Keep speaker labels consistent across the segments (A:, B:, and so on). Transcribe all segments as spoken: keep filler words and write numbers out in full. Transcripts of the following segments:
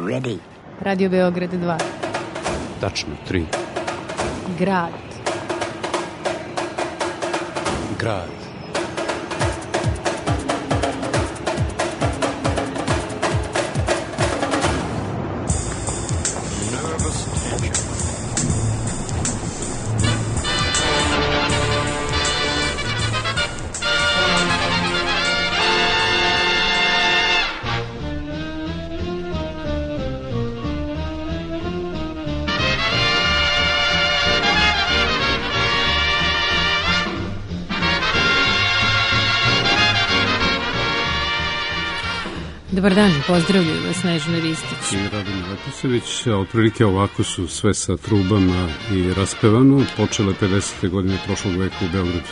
A: ready.
B: Radio Beograd dva.
C: Tačno, tri.
B: Grad.
C: Grad.
B: Dobar dan, pozdravljaju vas Snežana Ristić
C: i Radim Leposević. Otprilike ovako su sve sa trubama i raspevano. Počele pedesete godine prošlog veka u Beogradu.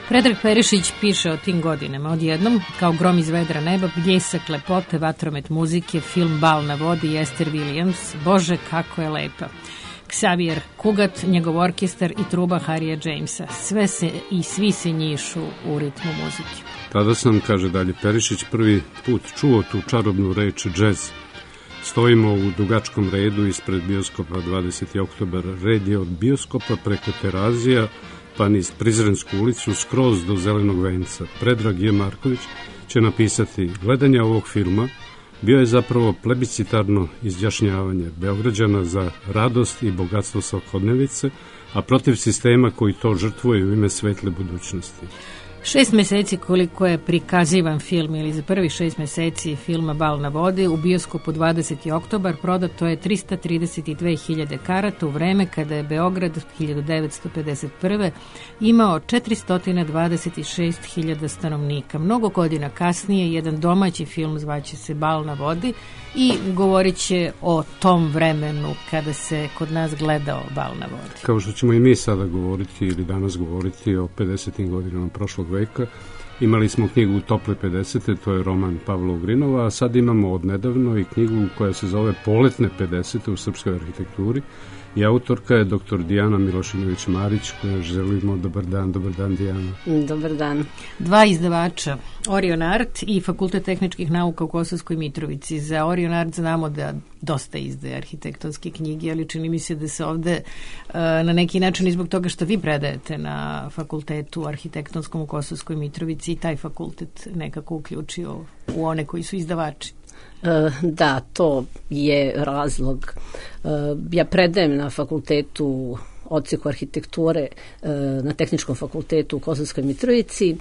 B: Predrag Perišić piše o tim godinama. Odjednom, kao grom iz vedra neba, bljesak lepote, vatromet muzike, film Bal na vodi, Esther Williams. Bože, kako je lepa. Xavier Cugat, njegov orkestar i truba Harrya Jamesa. Sve se i svi se njišu u ritmu muzike.
C: Tada sam, kaže dalje Perišić, prvi put čuo tu čarobnu reč džez. Stojimo u dugačkom redu ispred bioskopa dvadeseti oktobar. Red je od bioskopa preko Terazija pa niz Prizrensku ulicu skroz do Zelenog venca. Predrag J. Marković će napisati: gledanje ovog filma bio je zapravo plebiscitarno izjašnjavanje Beograđana za radost i bogatstvo svakodnevice, a protiv sistema koji to žrtvuje u ime svetle budućnosti.
B: Šest meseci koliko je prikazivan film, ili za prvih šest meseci filma Bal na vodi, u bioskopu dvadeseti oktobar prodato je trista trideset dve hiljade karata u vreme kada je Beograd hiljadu devetsto pedeset prve imao četiristo dvadeset šest hiljada stanovnika. Mnogo godina kasnije jedan domaći film zvaće se Bal na vodi i govorit će o tom vremenu kada se kod nas gledao Bal na vodi.
C: Kao što ćemo i mi sada govoriti ili danas govoriti o pedesetim godinama prošlog veka, imali smo knjigu Tople pedesete, to je roman Pavla Ugrinova, a sad imamo odnedavno i knjigu koja se zove Poletne pedesete u srpskoj arhitekturi i autorka je doktor Dijana Milošinović-Marić, koja želimo dobar dan. Dobar dan, Dijana.
D: Dobar dan.
B: Dva izdavača, Orion Art i Fakultet tehničkih nauka u Kosovskoj Mitrovici. Za Orion Art znamo da dosta izdaje arhitektonske knjige, ali čini mi se da se ovde na neki način i zbog toga što vi predajete na fakultetu arhitektonskom u Kosovskoj Mitrovici i taj fakultet nekako uključio u one koji su izdavači.
D: Da, to je razlog. Ja predajem na fakultetu odseku arhitekture na Tehničkom fakultetu u Kosovskoj Mitrovici,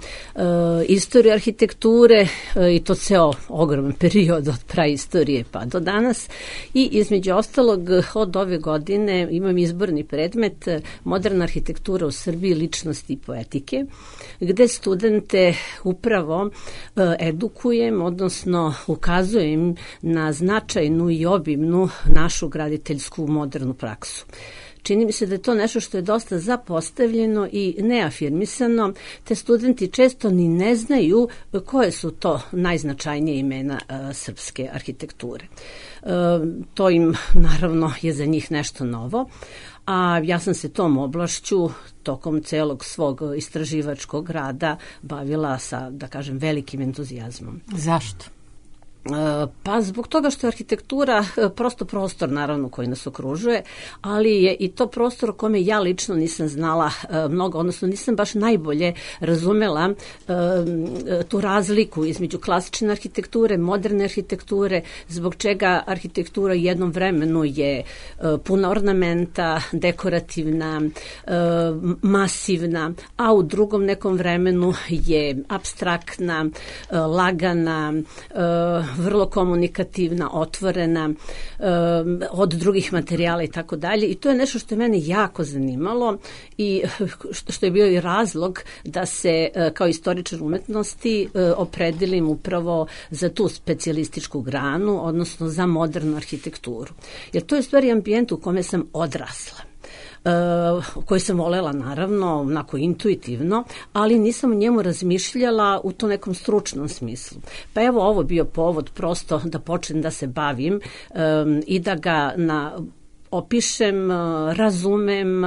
D: istoriju arhitekture i to ceo ogroman period od praistorije pa do danas i između ostalog od ove godine imam izborni predmet Moderna arhitektura u Srbiji, ličnosti i poetike, gde studente upravo edukujem, odnosno ukazujem na značajnu i obimnu našu graditeljsku modernu praksu. Čini mi se da je to nešto što je dosta zapostavljeno i neafirmisano, te studenti često ni ne znaju koje su to najznačajnije imena uh, srpske arhitekture. Uh, to im naravno je za njih nešto novo, a ja sam se tom oblašću tokom celog svog istraživačkog rada bavila sa, da kažem, velikim entuzijazmom.
B: Zašto?
D: Pa zbog toga što je arhitektura prosto prostor naravno koji nas okružuje, ali je i to prostor o kome ja lično nisam znala mnogo, odnosno nisam baš najbolje razumela tu razliku između klasične arhitekture, moderne arhitekture, zbog čega arhitektura u jednom vremenu je puna ornamenta, dekorativna, masivna, a u drugom nekom vremenu je apstraktna, lagana, vrlo komunikativna, otvorena, um, od drugih materijala i tako dalje. I to je nešto što je mene jako zanimalo i što je bio i razlog da se kao istoričar umetnosti opredelim upravo za tu specijalističku granu, odnosno za modernu arhitekturu. Jer to je u stvari ambijent u kome sam odrasla. Uh, koji sam volela naravno onako intuitivno, ali nisam o njemu razmišljala u to nekom stručnom smislu. Pa evo ovo bio povod prosto da počnem da se bavim um, i da ga na opišem, razumem,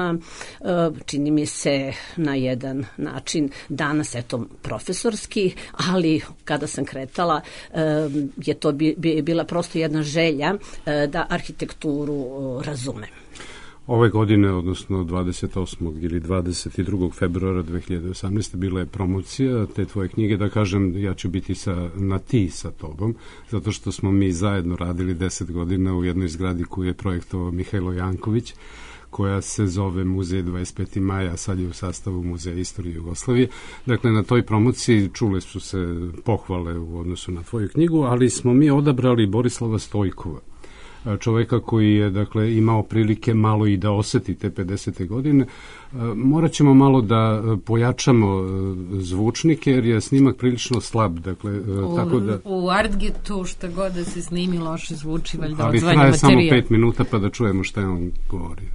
D: čini mi se na jedan način danas, eto, profesorski, ali kada sam kretala je to bila prosto jedna želja da arhitekturu razumem.
C: Ove godine, odnosno dvadeset osmog ili dvadeset drugog februara dve hiljade osamnaeste. bila je promocija te tvoje knjige. Da kažem, ja ću biti sa, na ti sa tobom, zato što smo mi zajedno radili deset godina u jednoj zgradi koju je projektovao Mihajlo Janković, koja se zove Muzej dvadeset petog maja, a sad je u sastavu Muzeja istorije Jugoslavije. Dakle, na toj promociji čule su se pohvale u odnosu na tvoju knjigu, ali smo mi odabrali Borislava Stojkova, čoveka koji je, dakle, imao prilike malo i da oseti te pedesete godine. Morat ćemo malo da pojačamo zvučnike, jer je snimak prilično slab. Dakle,
B: u,
C: tako da,
B: u Artgetu šta god da se snimi loše zvuči, valjda
C: ali
B: odzvanja
C: traje
B: materijal.
C: samo pet minuta pa da čujemo šta je on govorio.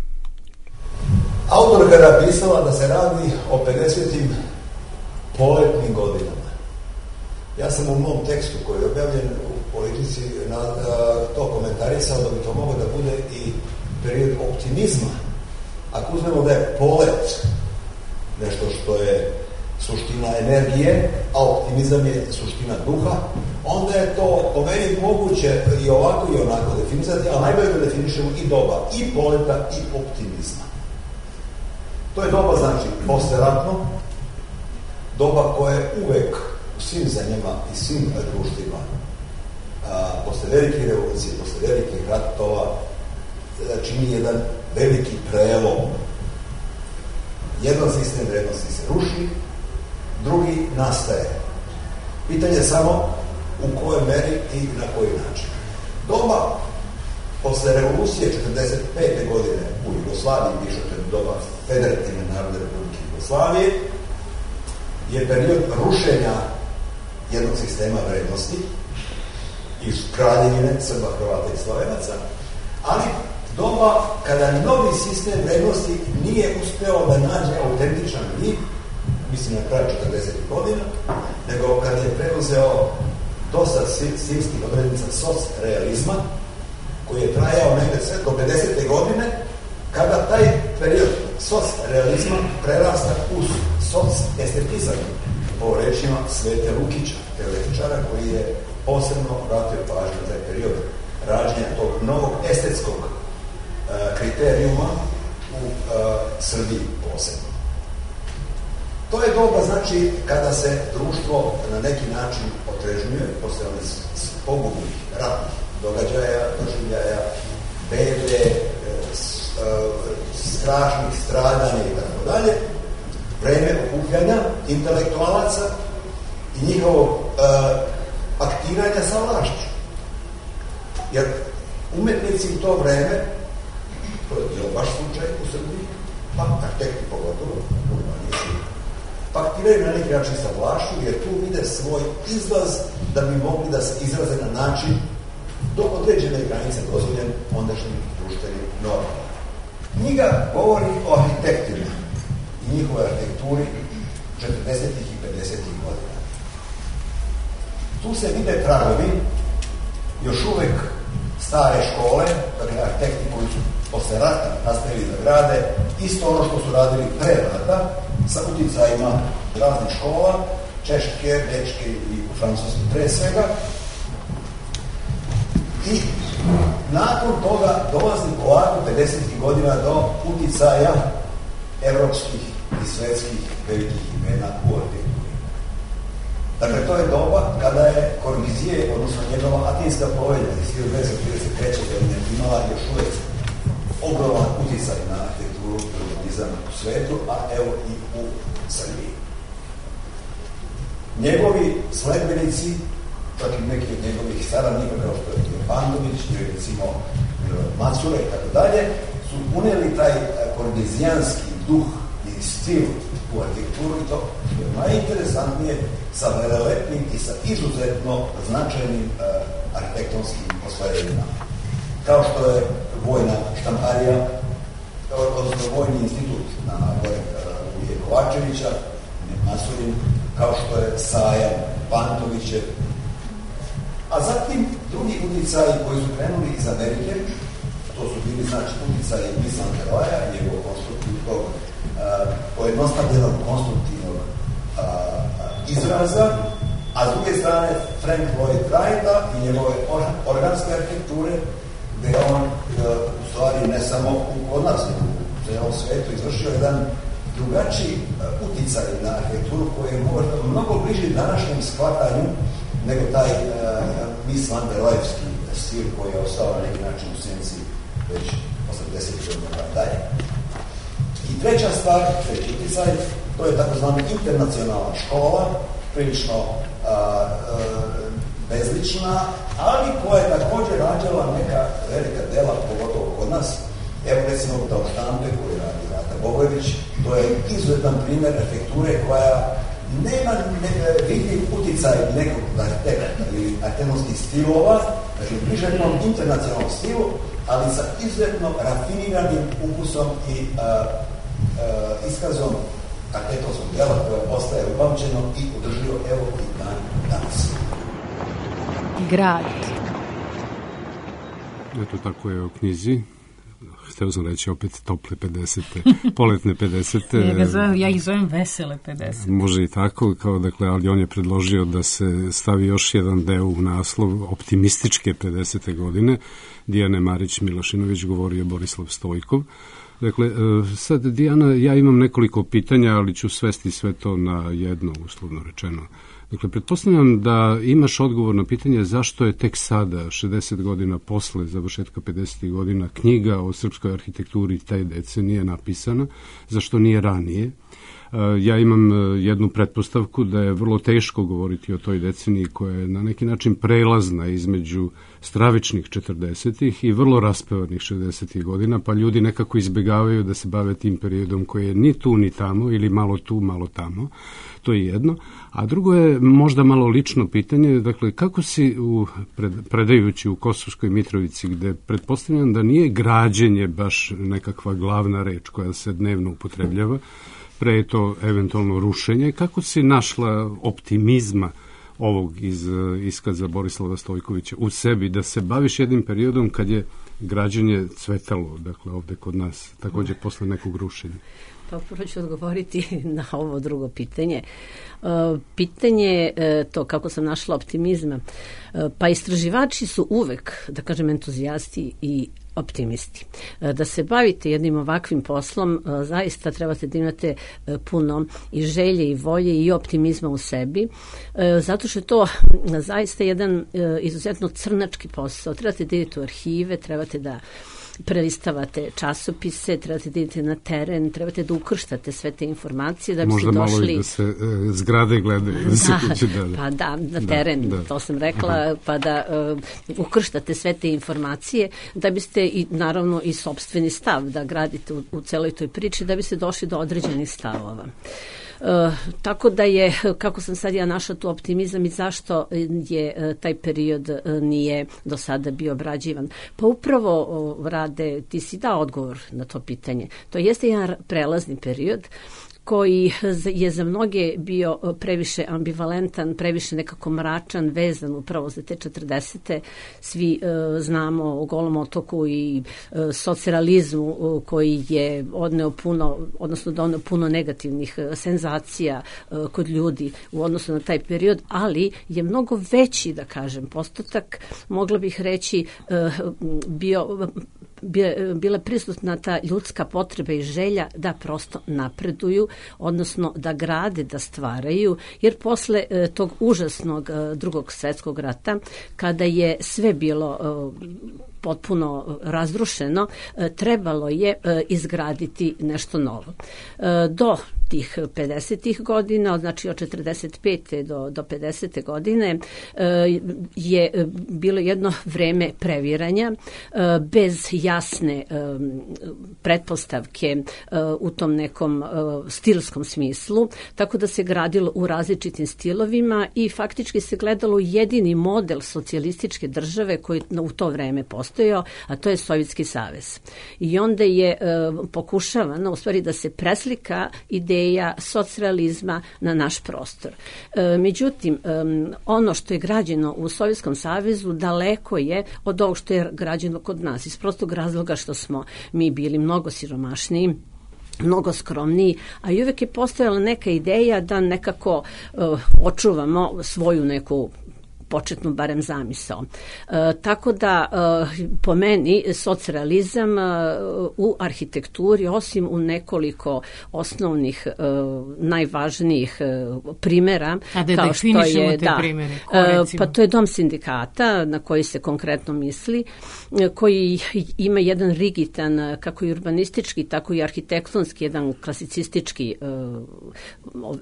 A: Autorka je napisala da se radi o pedesetim poletnim godinama. Ja sam u mom tekstu koji je objavljen u Politici na, a, to komentarisao da bi to moglo da bude i period optimizma. Ako uzmemo da je polet nešto što je suština energije, a optimizam je suština duha, onda je to po meni moguće i ovako i onako definisati, a najbolje da definišemo i doba i poleta i optimizma. To je doba, znači, posleratno, doba koja je uvek u svim zemljama i svim društvima, a, posle velike revolucije, posle velikih ratova, čini jedan veliki prelom. Jedan sistem vrednosti se ruši, drugi nastaje. Pitanje je samo u kojoj meri i na koji način. Doba posle revolucije četrdeset pete godine u Jugoslaviji, više to je doba Federativne narodne republike Jugoslavije, je period rušenja jednog sistema vrednosti iz Kraljevine, Srba, Hrvata i Slovenaca, ali doba kada novi sistem vrednosti nije uspeo da nađe autentičan vid, mislim na kraju četrdesetih godina, nego kada je preuzeo dosta stilskih odrednica socrealizma, koji je trajao negde sve do pedesete godine, kada taj period socrealizma prerasta u socestetizam, po rečima Svete Lukića, teoretičara koji je posebno vratio pažnju na taj period rađenja tog novog estetskog uh, kriterijuma u uh, Srbiji posebno. To je doba, znači, kada se društvo na neki način otrežnjuje posle onih pogubnih ratnih događaja, doživljaja, bede, strašnih stradanja i tako dalje, vreme okupljanja intelektualaca i njihovog uh, aktiranja sa vlašću. Jer umetnici u to vreme, to je bilo baš slučaj u Srbiji, pa arhitekti pogotovo, urbanisti, pa aktiraju na neki način sa vlašću, jer tu vide svoj izlaz da bi mogli da se izraze na način do određene granice dozvoljen ondašnjim društvenim normama. Knjiga govori o arhitektima i njihove arhitekturi četrdesetih i pedesetih godina. Tu se vide tragovi još uvek stare škole, dakle arhitekti koji su posle rata nastavili da grade isto ono što su radili pre rata, sa uticajima raznih škola, češke, bečke i francuske pre svega. I nakon toga dolazi polako pedesetih godina do uticaja evropskih i svetskih velikih imena u arhitekturi. Dakle, to je doba kada je Corbusier, odnosno njegova Atinska povelja iz hiljadu devetsto trideset treće godine imala još uvek ogroman uticaj na arhitekturu i urbanizam u svetu, a evo i u Srbiji. Njegovi sledbenici, čak i neki od njegovih saradnika, kao što je Bandović, ili recimo Macura i tako dalje, su uneli taj korbizijanski duh i stil u arhitekturu i to što je najinteresantnije sa velelepnim i sa izuzetno značajnim uh, arhitektonskim ostvarenjima. Kao što je vojna štamparija, odnosno vojni institut na gore uh, Uje Kovačevića, Masurin, kao što je sajam Bantovićev, a zatim drugi uticaji koji su krenuli iz Amerike, to su bili znači utjecaj Mies van der Roheja, njegovog konstruktivnog, pojednostavljenog konstruktivnog a, a, izraza, a s druge strane Frank Lloyd Wrighta i njegove organske arhitekture, gde on a, u stvari ne samo kod nas, u celom svetu izvršio jedan drugačiji uticaj na arhitekturu koji je možda mnogo bliži današnjem shvatanju nego taj uh, Mies van der Rohejevski stil koji je ostao na neki način u senci već osamdesetih godina dalje. I treća stvar, treći uticaj, to je takozvana internacionalna škola, prilično uh, uh, bezlična, ali koja je također rađala neka velika dela, pogotovo kod nas. Evo recimo Dao Štampe koji radi Rata Bogojević, to je izuzetan primjer arhitekture koja nema ne, vidljiv uticaj nekog arhitekta ili arhitektonskih stilova, znači bliže jednom internacionalnom stilu, ali sa izuzetno rafiniranim ukusom i a, a, iskazom arhitektonskog dela koje ostaje upamćeno i održivo evo i dan danas.
B: Grad.
C: Eto tako je u knjizi. Hteo sam reći opet tople pedesete, poletne pedesete.
B: Ja, zovem, ja ih zovem vesele pedesete.
C: Može i tako, kao dakle, ali on je predložio da se stavi još jedan deo u naslov optimističke pedesete godine. Dijane Marić Milošinović govorio Borislav Stojkov. Dakle, sad Dijana, ja imam nekoliko pitanja, ali ću svesti sve to na jedno, uslovno rečeno. Dakle, pretpostavljam da imaš odgovor na pitanje zašto je tek sada, šezdeset godina posle završetka pedesetih godina, knjiga o srpskoj arhitekturi te decenije napisana, zašto nije ranije. Ja imam jednu pretpostavku da je vrlo teško govoriti o toj deceniji koja je na neki način prelazna između stravičnih četrdesetih i vrlo raspevanih šezdesetih godina, pa ljudi nekako izbegavaju da se bave tim periodom koji je ni tu ni tamo ili malo tu, malo tamo. To je jedno. A drugo je možda malo lično pitanje, dakle, kako si u, pred, predajući u Kosovskoj Mitrovici, gde pretpostavljam da nije građenje baš nekakva glavna reč koja se dnevno upotrebljava, pre je to eventualno rušenje, kako si našla optimizma ovog iz iskaza Borislava Stojkovića u sebi, da se baviš jednim periodom kad je građenje cvetalo, dakle, ovde kod nas, također posle nekog rušenja?
D: Pa prvo ću odgovoriti na ovo drugo pitanje. Pitanje to kako sam našla optimizma. Pa istraživači su uvek, da kažem, entuzijasti i optimisti. Da se bavite jednim ovakvim poslom, zaista trebate da imate puno i želje i volje i optimizma u sebi, zato što je to zaista jedan izuzetno crnački posao. Trebate da idete u arhive, trebate da prelistavate časopise, trebate da idete na teren, trebate da ukrštate sve te informacije da biste došli...
C: Možda malo i da se e, zgrade gledaju. Da, se kuće, da, da.
D: Pa da, na teren, da, da. To sam rekla, aha, pa da uh, ukrštate sve te informacije da biste i naravno i sopstveni stav da gradite u, u celoj toj priči da biste došli do određenih stavova. Uh, tako da je, kako sam sad ja našla tu optimizam i zašto je uh, taj period uh, nije do sada bio obrađivan. Pa upravo uh, Rade, ti si dao odgovor na to pitanje. To jeste jedan prelazni period koji je za mnoge bio previše ambivalentan, previše nekako mračan, vezan upravo za te četrdesete. Svi uh, znamo o Golom otoku i uh, socrealizmu uh, koji je odneo puno, odnosno doneo puno negativnih uh, senzacija uh, kod ljudi u odnosu na taj period, ali je mnogo veći, da kažem, postotak, mogla bih reći, uh, bio... bila prisutna ta ljudska potreba i želja da prosto napreduju, odnosno da grade, da stvaraju, jer posle e, tog užasnog e, drugog svjetskog rata, kada je sve bilo e, potpuno razrušeno, e, trebalo je e, izgraditi nešto novo. E, do tih pedesetih godina, znači od četrdeset pete do, do pedesete godine, e, je bilo jedno vreme previranja, e, bez jasne e, pretpostavke e, u tom nekom e, stilskom smislu, tako da se gradilo u različitim stilovima i faktički se gledalo jedini model socijalističke države koji u to vreme postoji. postojao, a to je Sovjetski savez. I onda je e, pokušavano u stvari da se preslika ideja socrealizma na naš prostor. E, međutim, e, ono što je građeno u Sovjetskom savezu daleko je od ovog što je građeno kod nas, iz prostog razloga što smo mi bili mnogo siromašniji, mnogo skromniji, a i uvek je postojala neka ideja da nekako uh, očuvamo svoju neku početnu barem zamisao. E, tako da e, po meni socrealizam e, u arhitekt,uri osim u nekoliko osnovnih e, najvažnijih e, primera,
B: a da
D: kao što je
B: te
D: da,
B: primere,
D: e, pa to je Dom sindikata na koji se konkretno misli, e, koji ima jedan rigidan kako i urbanistički tako i arhitektonski jedan klasicistički e,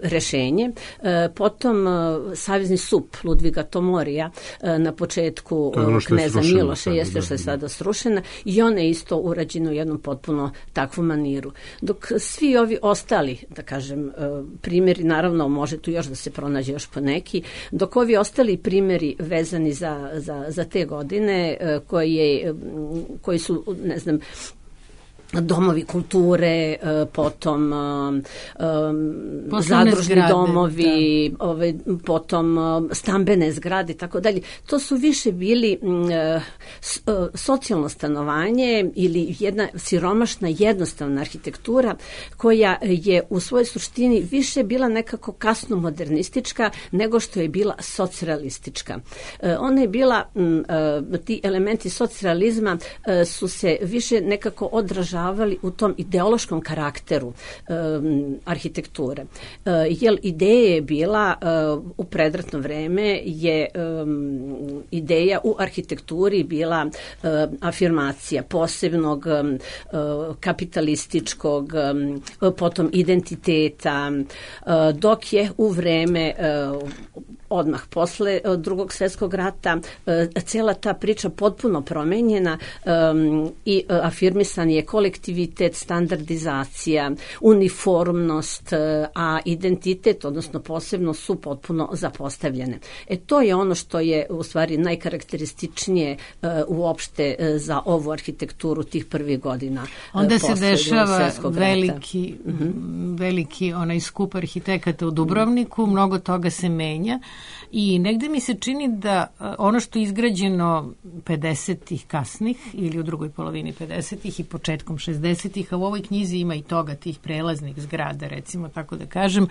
D: rešenje. E, potom e, Savezni sup Ludviga Tomorija na početku Kneza Miloša, jeste što je sada srušena, i ona je isto urađena u jednom potpuno takvu maniru. Dok svi ovi ostali, da kažem, primjeri, naravno može tu još da se pronađe još po neki, dok ovi ostali primjeri vezani za, za, za te godine koji, koji su, ne znam, domovi kulture, potom um, zadružni zgrade, domovi, da. ove, potom stambene zgrade i tako dalje. To su više bili um, socijalno stanovanje ili jedna siromašna jednostavna arhitektura koja je u svojoj suštini više bila nekako kasno modernistička nego što je bila socrealistička. Uh, ona je bila, um, uh, ti elementi socrealizma uh, su se više nekako odražavali u tom ideološkom karakteru um, arhitekture. Uh, jer ideja je bila uh, u predratno vreme je um, ideja u arhitekturi bila uh, afirmacija posebnog um, uh, kapitalističkog um, potom identiteta, uh, dok je u vreme uh, odmah posle Drugog svjetskog rata cela ta priča potpuno promenjena um, i afirmisan je kolektivitet, standardizacija, uniformnost, a identitet, odnosno posebno su potpuno zapostavljene. E to je ono što je u stvari najkarakterističnije uh, uopšte uh, za ovu arhitekturu tih prvih godina. Uh,
B: Onda se dešava veliki, uh-huh. veliki onaj skup arhitekata u Dubrovniku, uh-huh. mnogo toga se menja. I negde mi se čini da ono što je izgrađeno pedesetih kasnih ili u drugoj polovini pedesetih i početkom šezdesetih, a u ovoj knjizi ima i toga, tih prelaznih zgrada, recimo tako da kažem,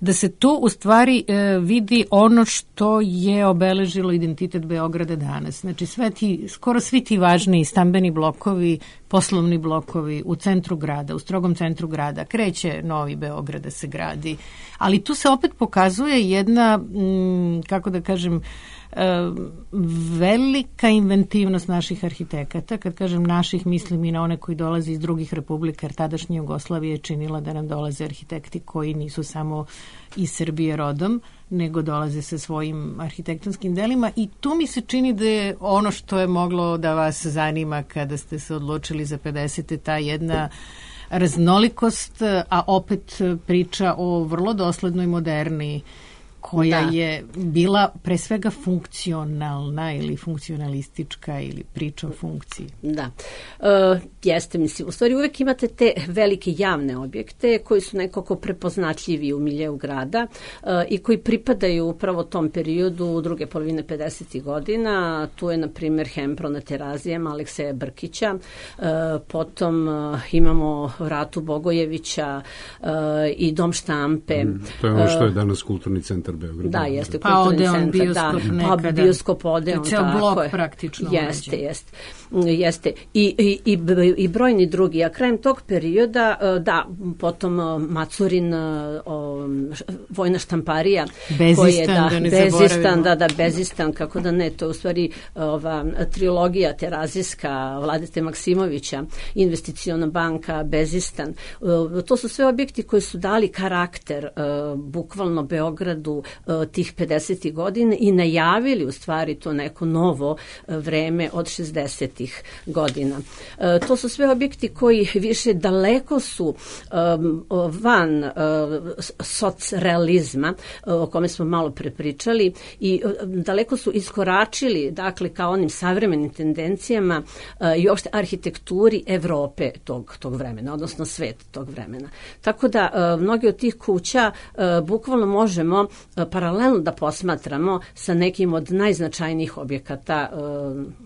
B: da se tu u stvari e, vidi ono što je obeležilo identitet Beograda danas. Znači sve ti, skoro svi ti važni stambeni blokovi, poslovni blokovi u centru grada, u strogom centru grada, kreće Novi Beograd da se gradi, ali tu se opet pokazuje jedna, m, kako da kažem, velika inventivnost naših arhitekata. Kad kažem naših, mislim i na one koji dolaze iz drugih republika, jer tadašnja Jugoslavija je činila da nam dolaze arhitekti koji nisu samo iz Srbije rodom, nego dolaze sa svojim arhitektonskim delima, i tu mi se čini da je ono što je moglo da vas zanima kada ste se odlučili za pedesete, ta jedna raznolikost, a opet priča o vrlo doslednoj moderni koja da. je bila pre svega funkcionalna ili funkcionalistička ili priča o funkciji.
D: Da. E, jeste, mislim, u stvari uvek imate te velike javne objekte koji su nekako prepoznatljivi u miljeu grada e, i koji pripadaju upravo tom periodu druge polovine pedesetih godina. Tu je, na primjer, Hempro na Terazijama Alekseja Brkića, e, potom e, imamo Ratu Bogojevića e, i Dom štampe.
C: Mm, to je ono što je danas kulturni centar Beograda.
D: Da, jeste,
B: pa ode on bioskop
D: da,
B: nekada.
D: Pa bioskop ode on,
B: ceo blok je. Praktično.
D: Jeste, jeste. Jeste. I, i, i, i brojni drugi. A krajem tog perioda, da, potom Macurin, o, vojna štamparija.
B: Bezistan,
D: koje, da,
B: da ne
D: Bezistan, da, da, Bezistan, kako da ne, to je u stvari ova trilogija terazijska Vladete Maksimovića, Investiciona banka, Bezistan. To su sve objekti koji su dali karakter bukvalno Beogradu tih pedesetih godina i najavili u stvari to neko novo vreme od šezdesetih godina. To su sve objekti koji više daleko su van socrealizma, o kome smo malo prepričali, i daleko su iskoračili, dakle, kao onim savremenim tendencijama i uopšte arhitekturi Evrope tog, tog vremena, odnosno sveta tog vremena. Tako da mnogi od tih kuća bukvalno možemo paralelno da posmatramo sa nekim od najznačajnijih objekata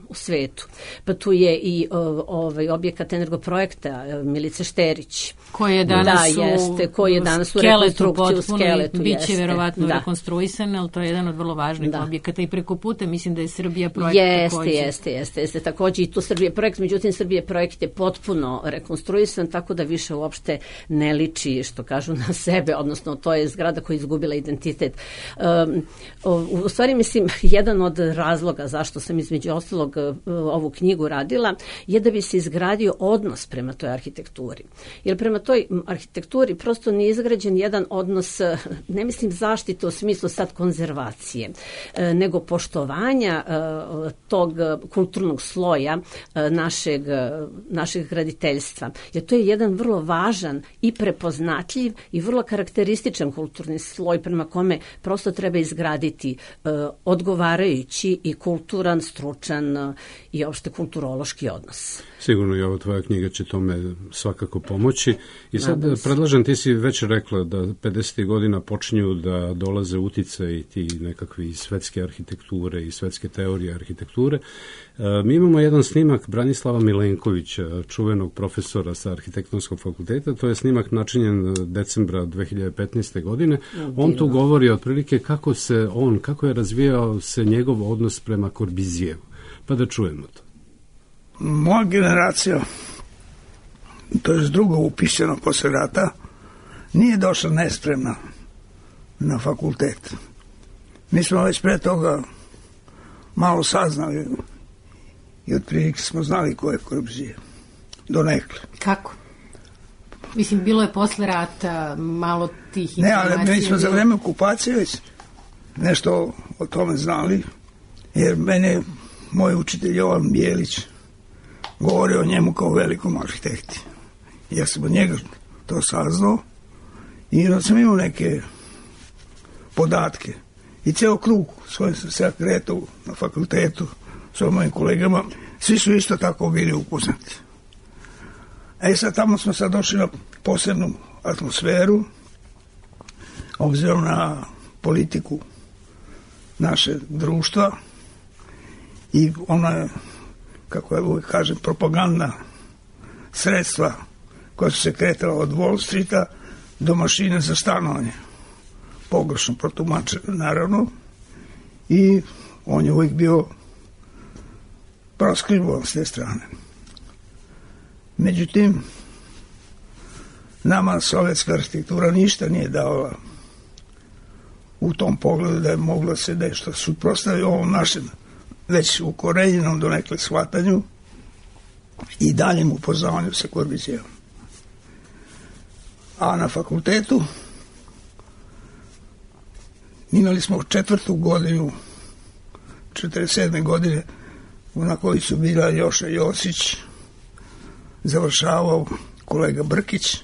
D: u svetu. Pa tu je i ovaj objekat Energoprojekta Milice Šterić.
B: Koji je danas,
D: da, jeste, koji je danas u rekonstrukciju u skeletu.
B: Biće verovatno da. rekonstruisan, ali to je jedan od vrlo važnih da. objekata i preko puta mislim da je Srbija projekt
D: jeste,
B: takođe.
D: Jeste, jeste, jeste. Takođe i tu Srbije projekt, međutim Srbije projekt je potpuno rekonstruisan, tako da više uopšte ne liči, što kažu, na sebe, odnosno to je zgrada koja je izgubila identitet. Um, u stvari, mislim, jedan od razloga zašto sam između ostalog ovu knjigu radila je da bi se izgradio odnos prema toj arhitekturi. Jer prema toj arhitekturi prosto nije izgrađen jedan odnos, ne mislim zaštite u smislu sad konzervacije, nego poštovanja tog kulturnog sloja našeg, našeg graditeljstva. Jer to je jedan vrlo važan i prepoznatljiv i vrlo karakterističan kulturni sloj prema kome prosto treba izgraditi odgovarajući i kulturan, stručan i opšte kulturološki odnos.
C: Sigurno i ova tvoja knjiga će tome svakako pomoći. I sad predlažem, ti si već rekla da pedesetih godina počinju da dolaze uticaji ti nekakvi svetske arhitekture i svetske teorije arhitekture. Mi imamo jedan snimak Branislava Milenkovića, čuvenog profesora sa Arhitektonskog fakulteta. To je snimak načinjen decembra dve hiljade petnaeste. godine. On tu govori otprilike kako se on, kako je razvijao se njegov odnos prema Corbusijevu. Pa da čujemo to.
E: Moja generacija, to je drugo upisano posle rata, nije došla nespremna na fakultet. Mi smo već pre toga malo saznali i otprilike smo znali ko je Corbusier. Donekle.
B: Kako? Mislim, bilo je posle rata malo tih
E: informacija. Ne, ali mi smo za vreme okupacije već nešto o tome znali, jer mene moj učitelj Jovan Bijelić govorio o njemu kao velikom arhitekti. Ja sam od njega to saznao i onda sam imao neke podatke. I ceo krug s kojim sam se kretao na fakultetu s mojim kolegama, svi su isto tako bili upoznati. E sad tamo smo sad došli na posebnu atmosferu, obzirom na politiku naše društva i ona, kako ja uvijek kažem, propagandna sredstva koja su se kretala od Wall Streeta do mašine za stanovanje. Pogrešno protumačeno, naravno, i on je uvijek bio proskrivovan s te strane. Međutim, nama sovjetska arhitektura ništa nije davala u tom pogledu da je moglo se nešto suprotstaviti ovom našem već ukorenjenom do nekle shvatanju i daljem upoznavanju sa Corbusierom. A na fakultetu imali smo četvrtu godinu, četrdeset sedme godine, na kojoj su bila Joša Josić, završavao kolega Brkić,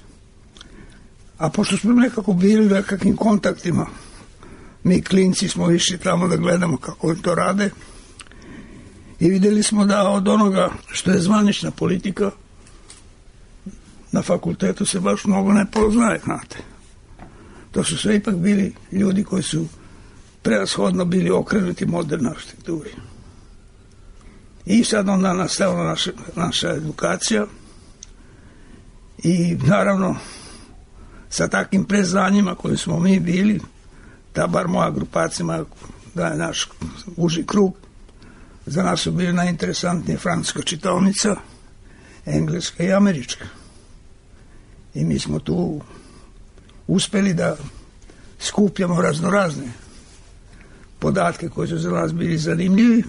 E: a pošto smo nekako bili u nekakvim kontaktima, mi klinci smo išli tamo da gledamo kako to rade i videli smo da od onoga što je zvanična politika na fakultetu se baš mnogo ne poznaje, znate. To su sve ipak bili ljudi koji su prevashodno bili okrenuti modernoj arhitekturi. I sad onda nastavila naša, naša edukacija i naravno sa takvim preznanjima koji smo mi bili, ta bar moja grupacija, da je naš uži krug, za nas su bili najinteresantnije francuska čitaonica, engleska i američka. I mi smo tu uspeli da skupljamo raznorazne podatke koji su za nas bili zanimljivi,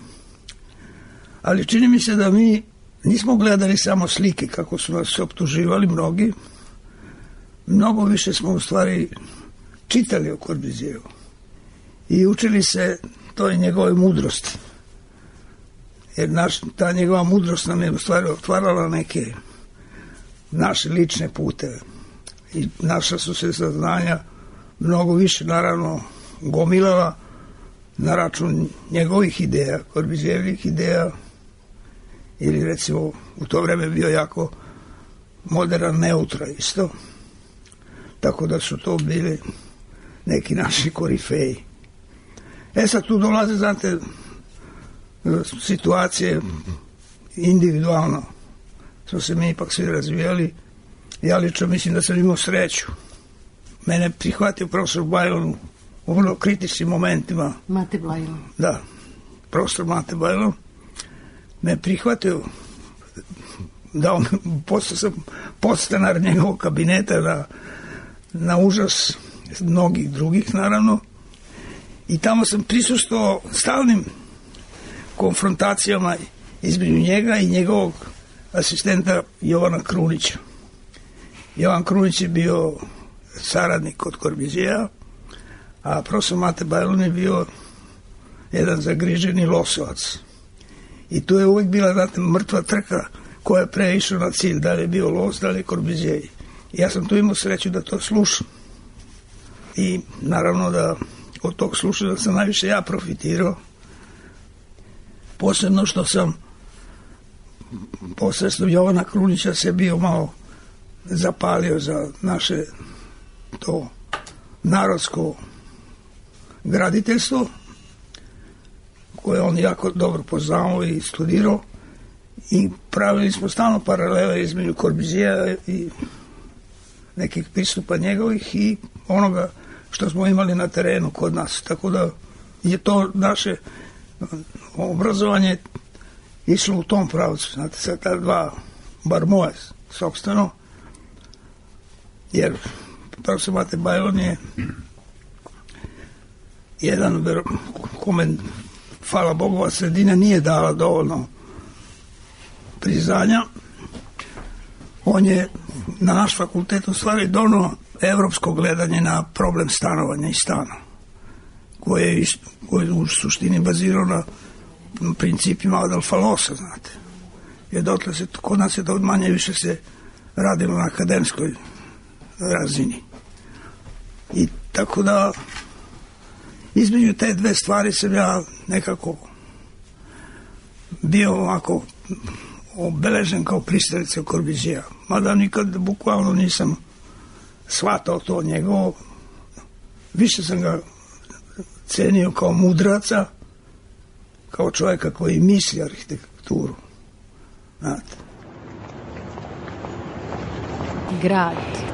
E: ali čini mi se da mi nismo gledali samo slike kako su nas optuživali mnogi, mnogo više smo u stvari čitali o Corbusieru i učili se toj njegove mudrosti. Jer naš, ta njegova mudrost nam je u stvari otvarala neke naše lične puteve. I naša su se saznanja mnogo više, naravno, gomilala na račun njegovih ideja, Korbizijevih ideja, ili recimo u to vreme bio jako modern neutra isto. Tako da su to bili neki naši korifeji. E sad tu dolaze, znate, situacije individualno. Smo se mi ipak svi razvijali. Ja lično mislim da sam imao sreću. Mene prihvatio profesor Bajlon u vrlo kritičnim momentima.
B: Mate Bajlon.
E: Da, profesor Mate Bajlon me prihvatio, dao me, postao sam podstanar njegovog kabineta na, na užas mnogih drugih, naravno. I tamo sam prisustvovao stalnim konfrontacijama između njega i njegovog asistenta Jovana Krunića. Jovan Krunić je bio saradnik kod Korbizija, a profesor Mate Bajlon je bio jedan zagriženi losovac. I tu je uvijek bila, znate, mrtva trka koja je pre išla na cilj, da li je bio Los, da li je Korbizije. I ja sam tu imao sreću da to slušam. I naravno da od tog slušanja sam najviše ja profitirao. Posebno što sam posredstvom Jovana Krunića se bio malo zapalio za naše to narodsko graditeljstvo, koje on jako dobro poznao i studirao, i pravili smo stalno paralele između Korbizija i nekih pristupa njegovih i onoga što smo imali na terenu kod nas. Tako da je to naše obrazovanje išlo u tom pravcu. Znate, sad ta dva, bar moje, sobstveno, jer profesor Mate Bajlon je jedan kome, hvala Bogova, sredina nije dala dovoljno priznanja. On je na naš fakultet u stvari donao evropsko gledanje na problem stanovanja i stana, koje je, koje je u suštini bazirao na principima Adolfa Losa, znate. Jer dotle se, kod nas je to manje više se radilo na akademskoj razini. I tako da između te dve stvari sam ja nekako bio ovako obeležen kao pristalica Korbizija. Mada nikad bukvalno nisam shvatao to njegovo. Više sam ga cenio kao mudraca, kao čovjeka koji misli arhitekturu. Znate.
B: Grad.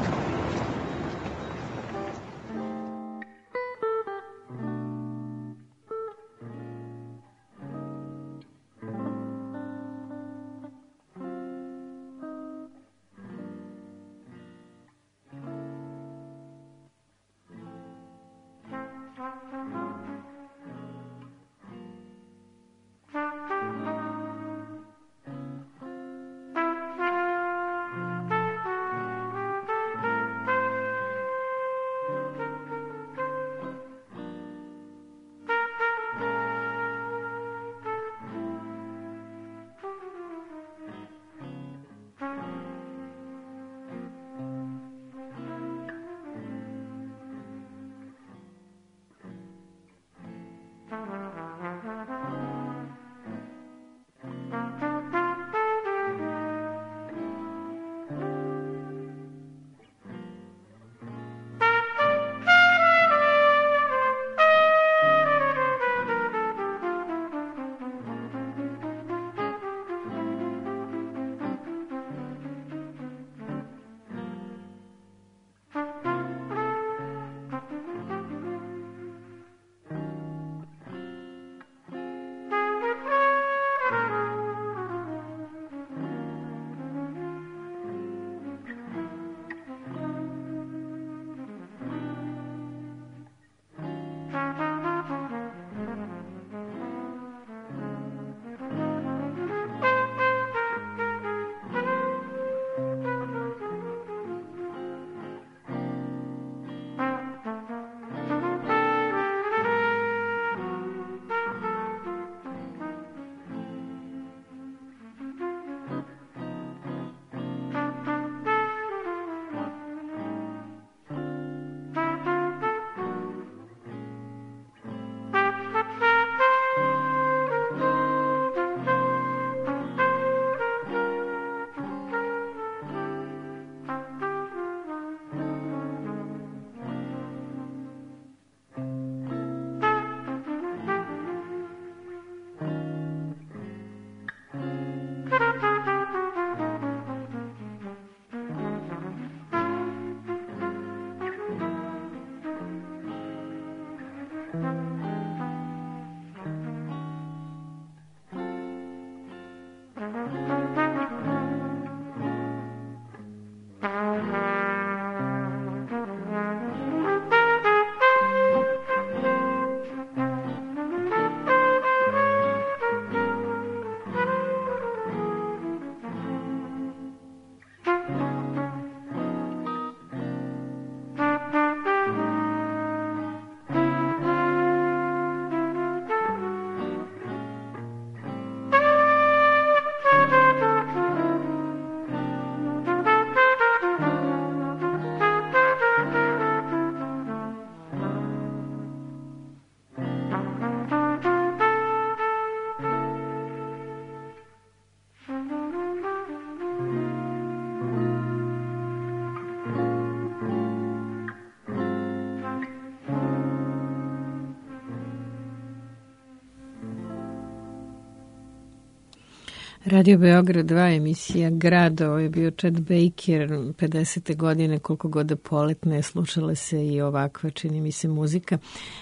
B: Radio Beograd dva, emisija Grad, ovo je bio Chet Baker, pedesete godine, koliko god da poletne, slušala se i ovakva, čini mi se, muzika.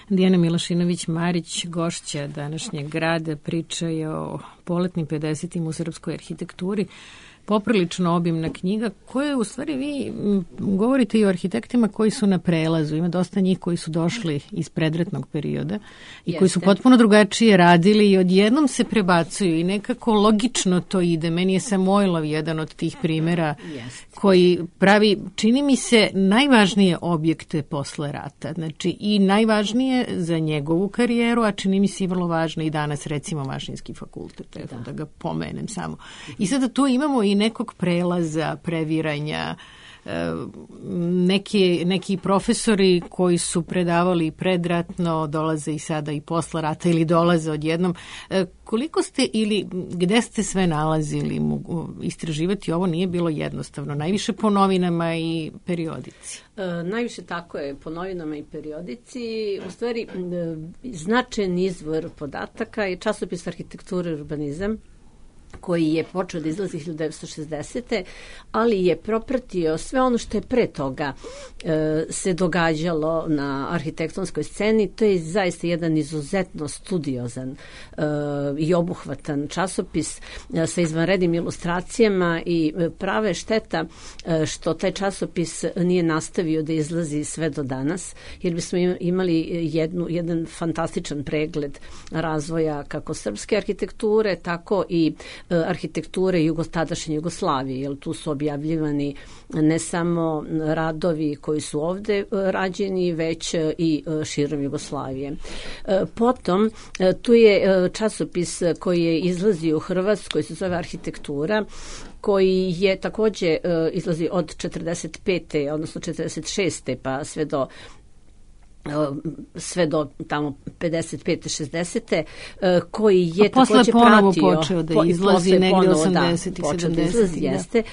B: Dijana Milošinović-Marić, gošća današnjeg Grada, priča je o poletnim pedesetim u srpskoj arhitekturi. Poprilično obimna knjiga koja u stvari vi govorite i o arhitektima koji su na prelazu. Ima dosta njih koji su došli iz predratnog perioda i Jeste. koji su potpuno drugačije radili i odjednom se prebacuju i nekako logično to ide. Meni je Samoilov jedan od tih primjera Jeste. koji pravi, čini mi se, najvažnije objekte posle rata. Znači i najvažnije za njegovu karijeru, a čini mi se i vrlo važno i danas, recimo Mašinski fakultet, evo da. da ga pomenem samo. I sada tu imamo i nekog prelaza, previranja, neki, neki profesori koji su predavali predratno dolaze i sada i posle rata ili dolaze odjednom. Koliko ste ili gde ste sve nalazili istraživati ovo nije bilo jednostavno? Najviše po novinama i periodici.
D: E, najviše tako je po novinama i periodici. U stvari, značajan izvor podataka je časopis Arhitektura i urbanizam, koji je počeo da izlazi hiljadu devetsto šezdesete. ali je propratio sve ono što je pre toga e, se događalo na arhitektonskoj sceni. To je zaista jedan izuzetno studiozan e, i obuhvatan časopis e, sa izvanrednim ilustracijama i prave šteta e, što taj časopis nije nastavio da izlazi sve do danas, jer bismo imali jednu, jedan fantastičan pregled razvoja kako srpske arhitekture, tako i arhitekture jugo, tadašnje Jugoslavije, jer tu su objavljivani ne samo radovi koji su ovde rađeni, već i širom Jugoslavije. Potom, tu je časopis koji je izlazio u Hrvatskoj, se zove Arhitektura, koji je takođe izlazi od četrdeset pete odnosno četrdeset šeste pa sve do sve do tamo pedeset pete šezdesete koji je
B: a
D: takođe
B: ponovo
D: pratio
B: počeo da izlazi negdje osamdesetih
D: da,
B: sedamdesetih
D: da, jeste,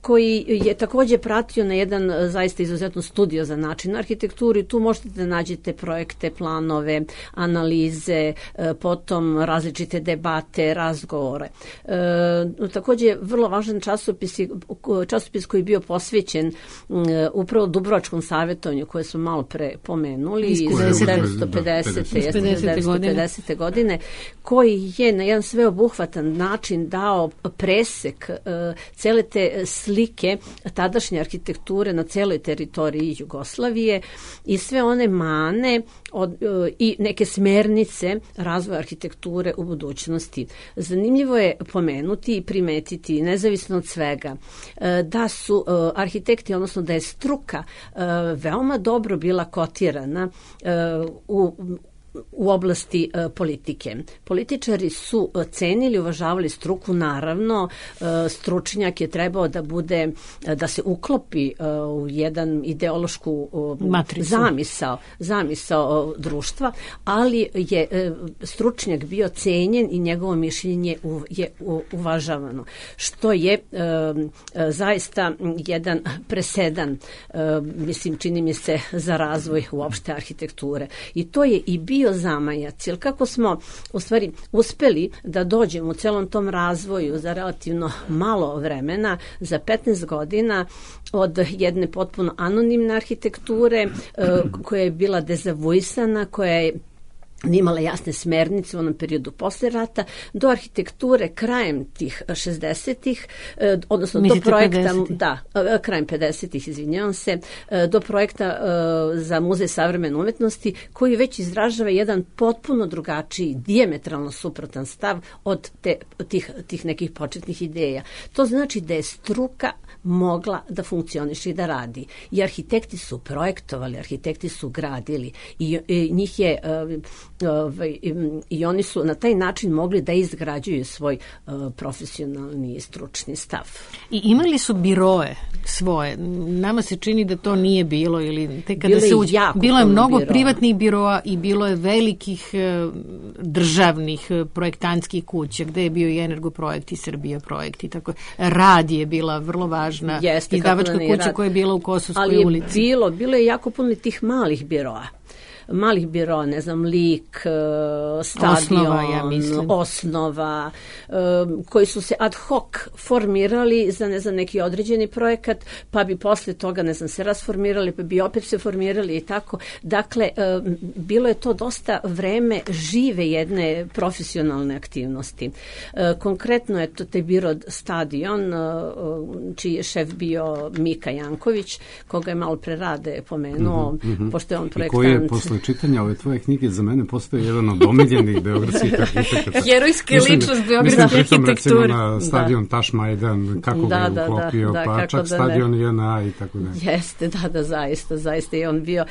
D: koji je takođe pratio na jedan zaista izuzetno studiozan način arhitekturi. Tu možete da nađete projekte, planove, analize, potom različite debate, razgovore. Takođe vrlo važan časopis, časopis koji je bio posvećen upravo Dubrovačkom savjetovanju koje smo malo pre pomenuli iz devetsto pedesete godine, koji je na jedan sveobuhvatan način dao presek uh, cele te slike tadašnje arhitekture na celoj teritoriji Jugoslavije i sve one mane od, uh, i neke smernice razvoja arhitekture u budućnosti. Zanimljivo je pomenuti i primetiti, nezavisno od svega, uh, da su uh, arhitekti, odnosno da je struka uh, veoma dobro bila kotirana u u oblasti uh, politike. Političari su uh, cenili, uvažavali struku, naravno, uh, stručnjak je trebao da bude, uh, da se uklopi uh, u jedan ideološku uh, zamisao, zamisao uh, društva, ali je uh, stručnjak bio cenjen i njegovo mišljenje u, je u, uvažavano, što je uh, uh, zaista jedan presedan, uh, mislim, čini mi se, za razvoj uopšte arhitekture. I to je i bio zamajac, jer kako smo u stvari uspeli da dođemo u celom tom razvoju za relativno malo vremena, za petnaest godina, od jedne potpuno anonimne arhitekture koja je bila dezavuisana, koja je nimala jasne smernice u onom periodu posle rata, do arhitekture krajem tih šezdesetih, odnosno Mislite do projekta, pedesetih da, krajem pedesetih, izvinjavam se, do projekta za Muzej savremene umetnosti, koji već izražava jedan potpuno drugačiji, dijametralno suprotan stav od te, tih, tih nekih početnih ideja. To znači da je struka mogla da funkcioniše i da radi. I arhitekti su projektovali, arhitekti su gradili i, i njih je Ovaj, i oni su na taj način mogli da izgrađuju svoj uh, profesionalni i stručni stav.
B: I imali su biroe svoje. Nama se čini da to nije bilo ili tek kada se uđe. Bilo je mnogo biroa. Privatnih biroa i bilo je velikih uh, državnih uh, projektantskih kuća gde je bio i Energoprojekt i Srbija projekt i tako. Rad je bila vrlo važna izdavačka kuća rad. koja je bila u Kosovskoj
D: Ali
B: ulici.
D: Ali je bilo, bilo je jako puno tih malih biroa. malih biroa, ne znam, Lik, Stadion,
B: Osnova, ja mislim.
D: Osnova, koji su se ad hoc formirali za, ne znam, neki određeni projekat, pa bi posle toga, ne znam, se rasformirali, pa bi opet se formirali i tako. Dakle, bilo je to dosta vreme žive jedne profesionalne aktivnosti. Konkretno je to taj biro Stadion, čiji je šef bio Mika Janković, koga je malo pre Rade pomenuo, mm-hmm. pošto je on projektant.
C: I koji je posle čitanja ove tvoje knjige za mene postoje jedan od omiljenih beogradskih arhitekata.
B: Herojska ličnost beogradske arhitekture.
C: Mislim recimo na stadion da. Taš Majdan, kako
D: da,
C: ga je uklopio,
D: da, da,
C: pa čak da stadion J N A i tako da.
D: Jeste, da, da, zaista, zaista je on bio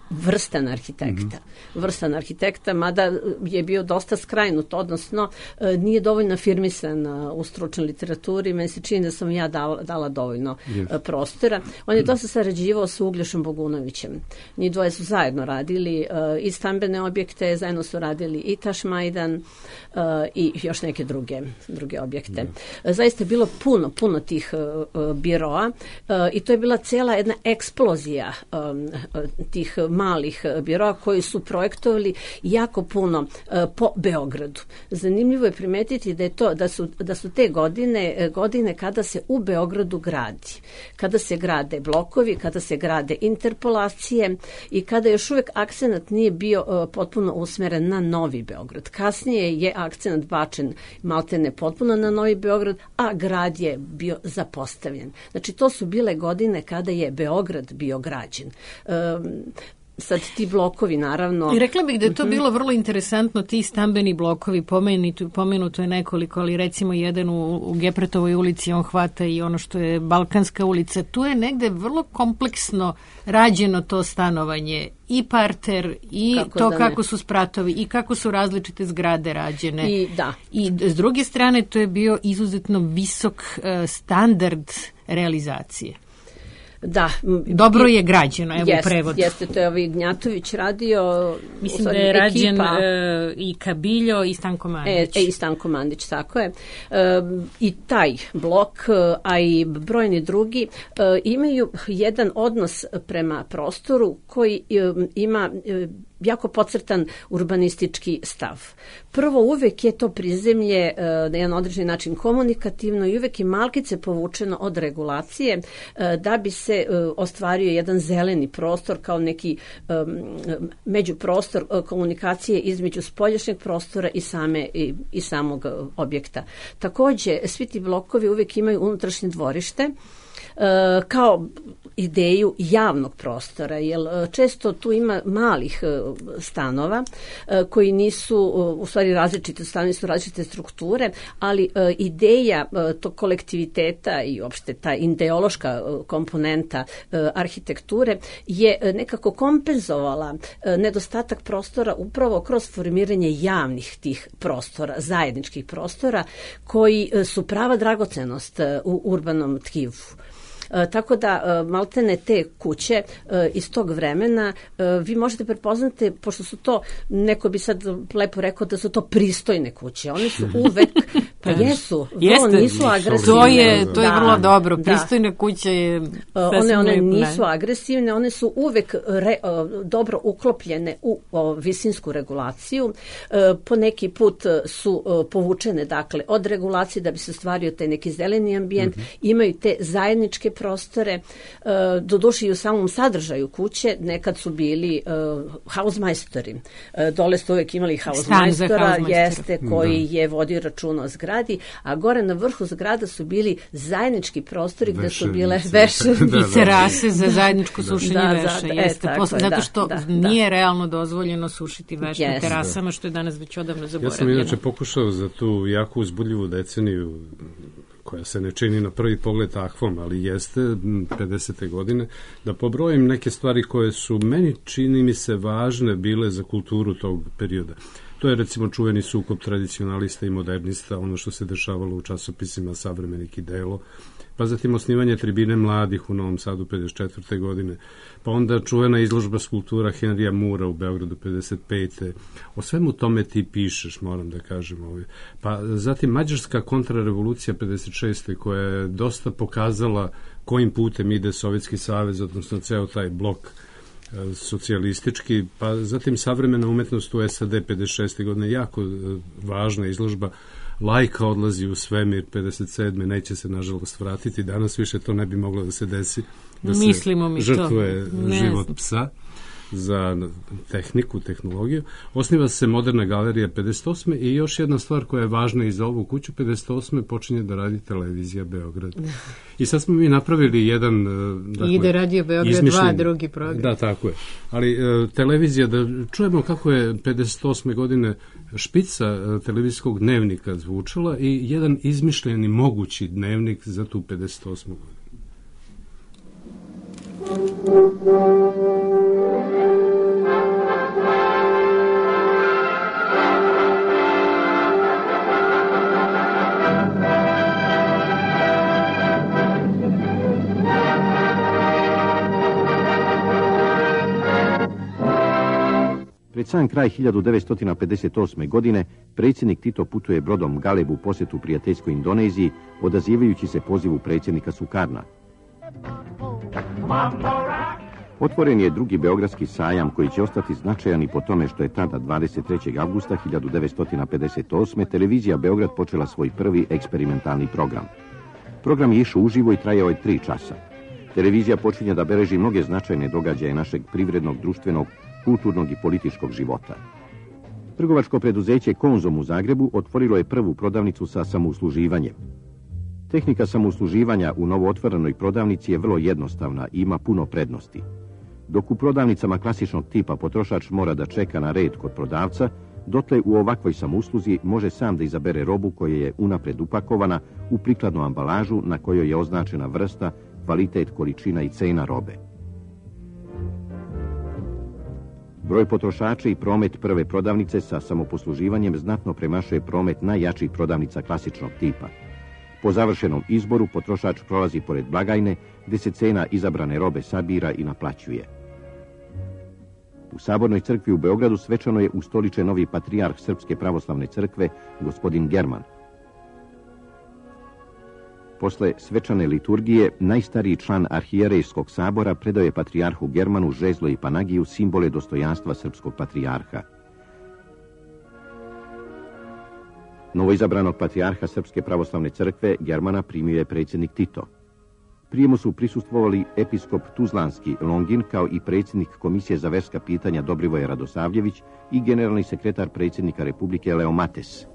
D: vrstan arhitekta. Mm-hmm. Vrstan arhitekta, mada je bio dosta skrajnut, odnosno nije dovoljno afirmisan u stručnoj literaturi, meni se čini da sam ja dala, dala dovoljno yes. prostora. On je dosta sarađivao sa Uglješom Bogunovićem. Njih dvoje su zajedno radili i stambene objekte, zajedno su radili i Taš Majdan i još neke druge, druge objekte. Yes. Zaista je bilo puno, puno tih biroa i to je bila cela jedna eksplozija tih malih biroa koji su projektovali jako puno uh, po Beogradu. Zanimljivo je primetiti da je to da su da su te godine godine kada se u Beogradu gradi, kada se grade blokovi, kada se grade interpolacije i kada još uvek akcenat nije bio uh, potpuno usmeren na Novi Beograd. Kasnije je akcenat bačen maltene potpuno na Novi Beograd, a grad je bio zapostavljen. Znači to su bile godine kada je Beograd bio građen. Um, Sad ti blokovi, naravno...
B: I rekla bih da je to bilo vrlo interesantno, ti stambeni blokovi, pomenuto, pomenuto je nekoliko, ali recimo jedan u, u Gepretovoj ulici, on hvata i ono što je Balkanska ulica. Tu je negde vrlo kompleksno rađeno to stanovanje, i parter, i kako to kako su spratovi, i kako su različite zgrade rađene.
D: I, da.
B: I s druge strane, to je bio izuzetno visok uh, standard realizacije.
D: Da.
B: Dobro je građeno, evo
D: jest,
B: prevod.
D: Jeste, to je ovaj Gnjatović radio.
B: Mislim da je rađen e, i Kabiljo i Stanko Mandić.
D: E, e, i Stanko Mandić, tako je. E, I taj blok, a i brojni drugi, e, imaju jedan odnos prema prostoru koji e, ima... E, jako podcrtan urbanistički stav. Prvo, uvek je to prizemlje e, na jedan određeni način komunikativno i uvek je malkice povučeno od regulacije e, da bi se e, ostvario jedan zeleni prostor kao neki e, međuprostor e, komunikacije između spoljašnjeg prostora i, same, i, i samog objekta. Takođe, svi ti blokovi uvek imaju unutrašnje dvorište e, kao ideju javnog prostora, jer često tu ima malih stanova koji nisu, u stvari različite stanovi su različite strukture, ali ideja tog kolektiviteta i uopšte ta ideološka komponenta arhitekture je nekako kompenzovala nedostatak prostora upravo kroz formiranje javnih tih prostora, zajedničkih prostora koji su prava dragocenost u urbanom tkivu. E, tako da e, maltene te kuće e, iz tog vremena e, vi možete prepoznati, pošto su to, neko bi sad lepo rekao da su to pristojne kuće, one su uvek, pa jesu, vrlo nisu agresivne.
B: To je, to je da, vrlo dobro, pristojne da. kuće je...
D: One, one nisu agresivne, one su uvek re, dobro uklopljene u o, visinsku regulaciju, e, po neki put su o, povučene dakle od regulacije da bi se stvario taj neki zeleni ambijent, mm-hmm. imaju te zajedničke prostore, doduše i u samom sadržaju kuće, nekad su bili uh, hausmajstori. Uh, dole ste uvek imali hausmajstora, jeste, koji da. je vodio račun o zgradi, a gore na vrhu zgrada su bili zajednički prostori gde su bile veše
B: i terase za zajedničko sušenje da, veša. Da, jeste, e, posle, zato što da, nije da. realno dozvoljeno sušiti veš na terasama, što je danas već odavno zaboravljeno.
C: Ja sam inače pokušao za tu jako uzbudljivu deceniju koja se ne čini na prvi pogled takvom, ali jeste pedesete godine, da pobrojim neke stvari koje su meni, čini mi se, važne bile za kulturu tog perioda. To je recimo čuveni sukob tradicionalista i modernista, ono što se dešavalo u časopisima Savremenik i Delo, pa zatim osnivanje tribine mladih u Novom Sadu pedeset četvrte godine, pa onda čuvena izložba skulptura Henrija Mura u Beogradu pedeset pete O svemu tome ti pišeš, moram da kažem. Ovaj. Pa zatim mađarska kontrarevolucija pedeset šeste koja je dosta pokazala kojim putem ide Sovjetski savez, odnosno ceo taj blok socijalistički, pa zatim savremena umetnost u S A D pedeset šeste godine, jako važna izložba. Lajka odlazi u svemir pedeset sedme neće se nažalost vratiti, danas više to ne bi moglo da se desi, da se žrtvuje život psa za tehniku, tehnologiju. Osniva se moderna galerija pedeset osme i još jedna stvar koja je važna i za ovu kuću, pedeset osme počinje da radi televizija Beograd. I sad smo mi napravili jedan... Dakle,
B: ide radio Beograd dva, drugi program.
C: Da, tako je. Ali televizija, da čujemo kako je pedeset osme godine špica televizijskog dnevnika zvučala i jedan izmišljeni mogući dnevnik za tu pedeset osmu godinu.
F: Pred sam kraj hiljadu devetsto pedeset osme. godine predsjednik Tito putuje brodom Galeb u posjetu prijateljskoj Indoneziji, odazivajući se pozivu predsjednika Sukarna. Otvoren je drugi beogradski sajam koji će ostati značajan i po tome što je tada dvadeset trećeg avgusta hiljadu devetsto pedeset osme. televizija Beograd počela svoj prvi eksperimentalni program. Program je išao uživo i trajao je tri časa. Televizija počinje da beleži mnoge značajne događaje našeg privrednog, društvenog, kulturnog i političkog života. Trgovačko preduzeće Konzum u Zagrebu otvorilo je prvu prodavnicu sa samousluživanjem. Tehnika samousluživanja u novootvorenoj prodavnici je vrlo jednostavna i ima puno prednosti. Dok u prodavnicama klasičnog tipa potrošač mora da čeka na red kod prodavca, dotle u ovakvoj samousluzi može sam da izabere robu koja je unapred upakovana u prikladnu ambalažu na kojoj je označena vrsta, kvalitet, količina i cena robe. Broj potrošača i promet prve prodavnice sa samoposluživanjem znatno premašuje promet najjačih prodavnica klasičnog tipa. Po završenom izboru potrošač prolazi pored blagajne gdje se cena izabrane robe sabira i naplaćuje. U Sabornoj crkvi u Beogradu svečano je ustoličen novi patrijarh Srpske pravoslavne crkve, gospodin German. Posle svečane liturgije, najstariji član arhijerejskog sabora predao je patrijarhu Germanu žezlo i panagiju, simbole dostojanstva srpskog patrijarha. Novoizabranog patrijarha Srpske pravoslavne crkve Germana primio je predsjednik Tito. Prijemu su prisustvovali episkop Tuzlanski Longin kao i predsjednik Komisije za verska pitanja Dobrivoje Radosavljević i generalni sekretar predsjednika Republike Leo Mates.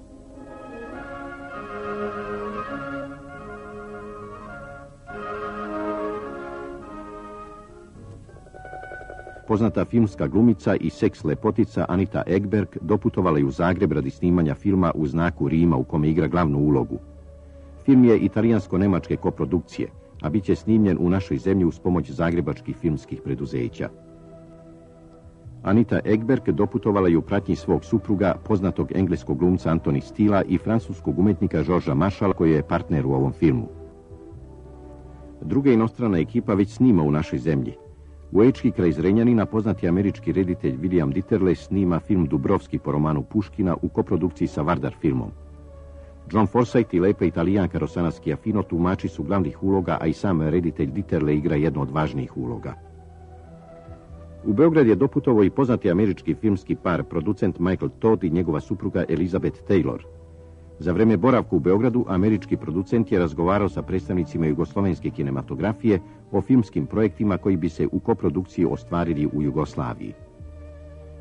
F: Poznata filmska glumica i seks lepotica Anita Ekberg doputovala je u Zagreb radi snimanja filma U znaku Rima u kome igra glavnu ulogu. Film je italijansko-nemačke koprodukcije, a bit će snimljen u našoj zemlji uz pomoć zagrebačkih filmskih preduzeća. Anita Ekberg doputovala je u pratnji svog supruga, poznatog engleskog glumca Antoni Stila i francuskog umetnika Georgesa Marshalla, koji je partner u ovom filmu. Druga inostrana ekipa već snima u našoj zemlji. U Ečki kraj Zrenjanina poznati američki reditelj William Dieterle snima film Dubrovski po romanu Puškina u koprodukciji sa Vardar filmom. John Forsythe i lepa Italijanka Rosana Schiaffino tumači su glavnih uloga, a i sam reditelj Dieterle igra jednu od važnijih uloga. U Beograd je doputovao i poznati američki filmski par, producent Michael Todd i njegova supruga Elizabeth Taylor. Za vreme boravka u Beogradu, američki producent je razgovarao sa predstavnicima jugoslovenske kinematografije o filmskim projektima koji bi se u koprodukciji ostvarili u Jugoslaviji.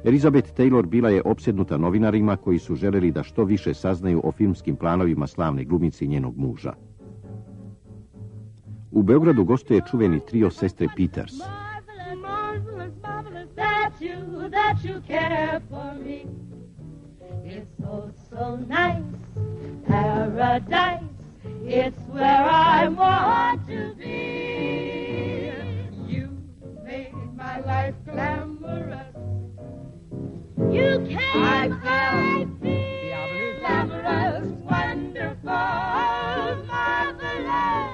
F: Elizabeth Taylor bila je opsednuta novinarima koji su želeli da što više saznaju o filmskim planovima slavne glumice i njenog muža. U Beogradu gostuje čuveni trio sestre Peters.
G: Paradise, it's where I want to be. You made my life glamorous. You came, I feel glamorous, wonderful, marvelous.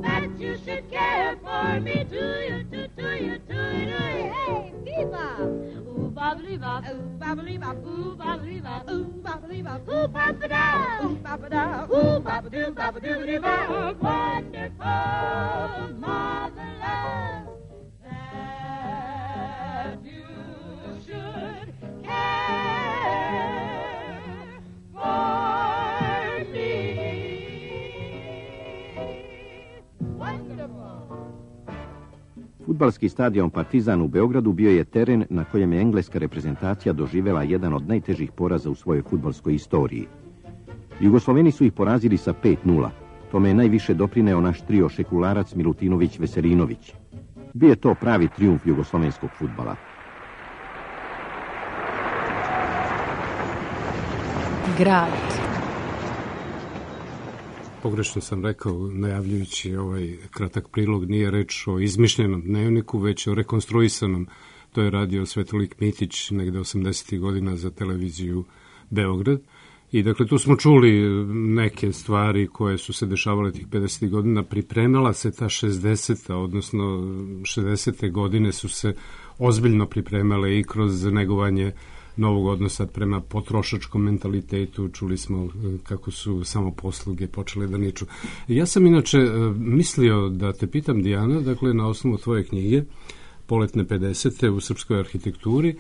G: That you should care for me, do you, do, do you, do you, do you? Hey, viva! Ooh, babbly bop, ooh, babbly bop, ooh, babbly bop, ooh, babbly bop, ooh, bop-a-da, ooh, bop-a-da, ooh, bop-a-doo, bop-a-doo-doo-bop. Wonderful, marvelous. That
F: Fudbalski stadion Partizan u Beogradu bio je teren na kojem je engleska reprezentacija doživela jedan od najtežih poraza u svojoj fudbalskoj istoriji. Jugosloveni su ih porazili sa pet nula. Tome je najviše doprineo naš trio šekularac Milutinović Veselinović. Bio je to pravi trijumf jugoslovenskog fudbala.
B: Grad.
C: Pogrešno sam rekao, najavljujući ovaj kratak prilog, nije reč o izmišljenom dnevniku, već o rekonstruisanom. To je radio Svetolik Mitić negde osamdesetih godina za televiziju Beograd. I dakle, tu smo čuli neke stvari koje su se dešavale tih pedesetih godina. Pripremala se ta šezdeseta, odnosno šezdesete godine su se ozbiljno pripremale i kroz negovanje novog odnosa prema potrošačkom mentalitetu. Čuli smo kako su samo posluge počele da niču. Ja sam inače mislio da te pitam, Dijana, dakle, na osnovu tvoje knjige Poletne pedesete u srpskoj arhitekturi,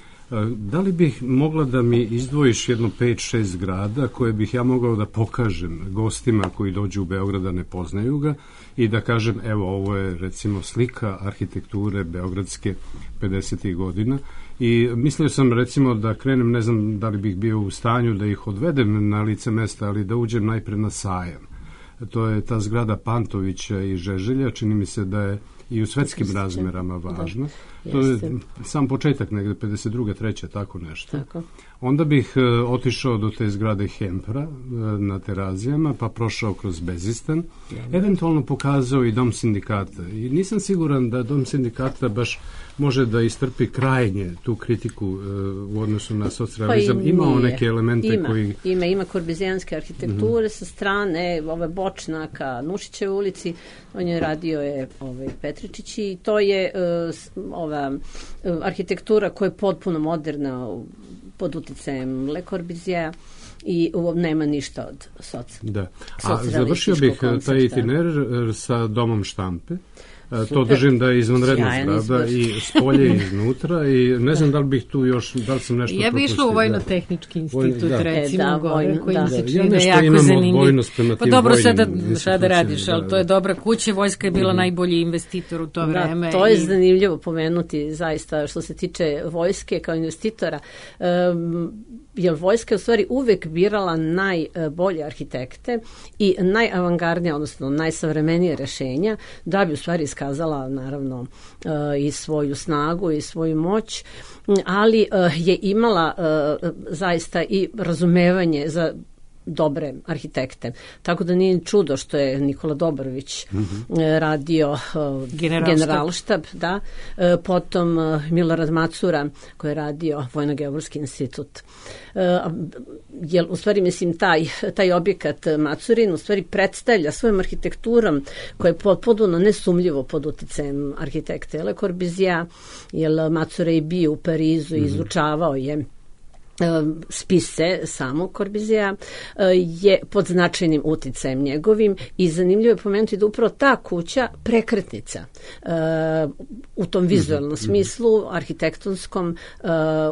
C: da li bih mogla da mi izdvojiš jedno pet šest grada koje bih ja mogao da pokažem gostima koji dođu u Beograd da ne poznaju ga i da kažem, evo, ovo je recimo slika arhitekture beogradske pedesetih godina. I mislio sam recimo da krenem, ne znam da li bih bio u stanju da ih odvedem na lice mesta, ali da uđem najpre na Sajam. To je ta zgrada Pantovića i Žeželja, čini mi se da je i u svetskim razmerama važno. Da, to je sam početak, negde pedeset druga treća tako nešto. Tako. Onda bih e, otišao do te zgrade Hempra e, na Terazijama, pa prošao kroz Bezistan, da. Eventualno pokazao i Dom sindikata. I nisam siguran da Dom sindikata baš može da istrpi krajnje tu kritiku e, u odnosu na socrealizam. Pa ima neke elemente
D: ima,
C: koji...
D: Ima, ima korbizijanske arhitekture mm-hmm. sa strane ove Bočnaka, Nušićeve ulici, on je radio je ovaj, Petričić i to je uh, ova uh, arhitektura koja je potpuno moderna pod uticajem Le Corbusier'a i uh, nema ništa od soc.
C: Da. A završio bih koncepta. Taj itinerar sa Domom štampe. Super. To držim da je izvanredna zgrada i spolje i iznutra i ne znam da li bih tu još, da li sam nešto propustio.
B: Ja bih išla u Vojno-tehnički institut, da. recimo,
D: da,
B: gore, koji
D: da.
B: mi se čini da je jako zanimljiv. Pa dobro, sada šta da radiš, ali to je dobra kuća, vojska je bila najbolji investitor u to vreme.
D: Da, to je i... zanimljivo pomenuti, zaista, što se tiče vojske kao investitora. Um, jer vojska je u stvari uvek birala najbolje arhitekte i najavangardnije, odnosno najsavremenije rešenja da bi u stvari iskazala naravno i svoju snagu i svoju moć, ali je imala zaista i razumevanje za dobre arhitekte. Tako da nije čudo što je Nikola Dobrović mm-hmm. radio uh, generalštab, generalštab da. Uh, potom uh, Milorad Macura koji je radio Vojno-geografski institut. Uh, jer u stvari mislim taj, taj objekat Macurin u stvari predstavlja svojom arhitekturom koja je potpuno nesumljivo pod uticajem arhitekte Le Corbusier'a, jer Macura je bio u Parizu mm-hmm. i izučavao je spise samog Corbusier'a, je pod značajnim uticajem njegovim i zanimljivo je pomenuti da upravo ta kuća prekretnica u tom vizualnom smislu, arhitektonskom,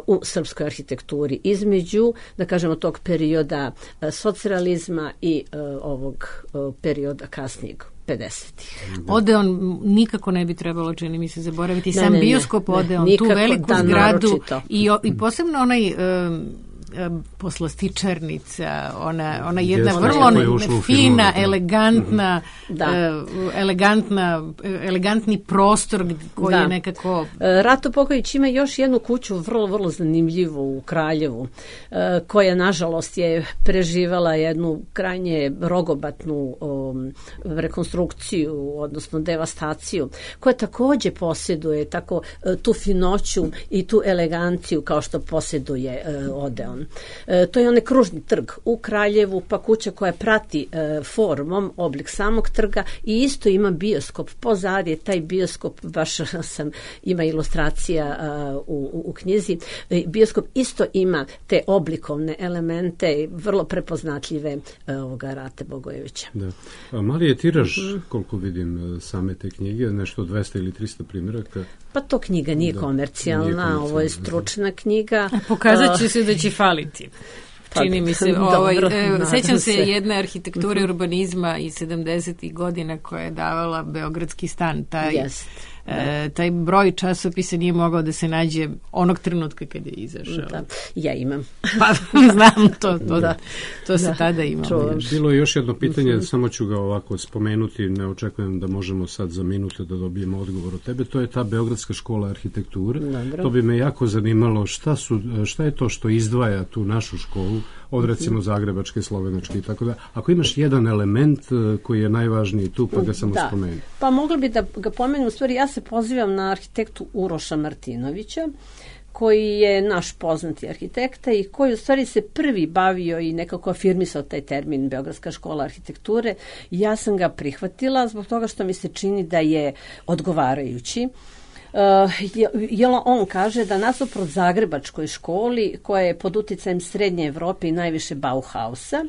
D: u srpskoj arhitekturi između, da kažemo, tog perioda socrealizma i ovog perioda kasnijeg pedesetih.
B: Odeon nikako ne bi trebalo, čini mi se, zaboraviti. Sam ne, bioskop ne, Odeon, ne, tu veliku da, zgradu i, i posebno onaj um, poslastičarnica, ona, ona jedna Jeste, vrlo fina, elegantna, da. uh, elegantna, elegantni prostor koji da. je nekako...
D: Rato Popović ima još jednu kuću vrlo, vrlo zanimljivu u Kraljevu, uh, koja nažalost je preživala jednu krajnje rogobatnu um, rekonstrukciju, odnosno devastaciju, koja takođe posjeduje tako uh, tu finoću i tu eleganciju kao što posjeduje uh, Odeon. E, to je onaj kružni trg u Kraljevu, pa kuća koja prati e, formom oblik samog trga i isto ima bioskop. Pozadje taj bioskop, baš sam ima ilustracija a, u, u knjizi, e, bioskop isto ima te oblikovne elemente, vrlo prepoznatljive e, ovoga Rate Bogojevića.
C: Da. A mali je tiraž, koliko vidim same te knjige, nešto dvesta ili trista primjeraka?
D: Pa to knjiga nije da, komercijalna, nije komercijalna, ovo je stručna da. knjiga.
B: A pokazat će se da će faliti. čini mi se.
D: Dobro,
B: Ovaj, e, sećam se
D: se.
B: jedne arhitekture urbanizma iz sedamdesetih godina koja je davala Beogradski stan. Taj,
D: Jest.
B: e, taj broj časopisa nije mogao da se nađe onog trenutka kada je izašao.
D: Da, ja imam.
B: Pa znam, to, to,
D: Da.
B: to se
D: Da.
B: tada imalo.
D: Čuvam.
B: još.
C: Bilo je još jedno pitanje, samo ću ga ovako spomenuti, ne očekujem da možemo sad za minute da dobijemo odgovor od tebe, to je ta Beogradska škola arhitekture.
D: Dobro.
C: To bi me jako zanimalo šta, su, šta je to što izdvaja tu našu školu od recimo Zagrebačke, Slovenačke i tako da. Ako imaš jedan element eh, koji je najvažniji tu, pa ga samo
D: Da.
C: spomeni.
D: Pa mogla bi da ga pomenu, u stvari ja se pozivam na arhitektu Uroša Martinovića, koji je naš poznati arhitekta i koji u stvari se prvi bavio i nekako afirmisao taj termin Beogradska škola arhitekture. Ja sam ga prihvatila zbog toga što mi se čini da je odgovarajući. Uh, jer on kaže da nasuprot Zagrebačkoj školi, koja je pod uticajem Srednje Evrope i najviše Bauhausa,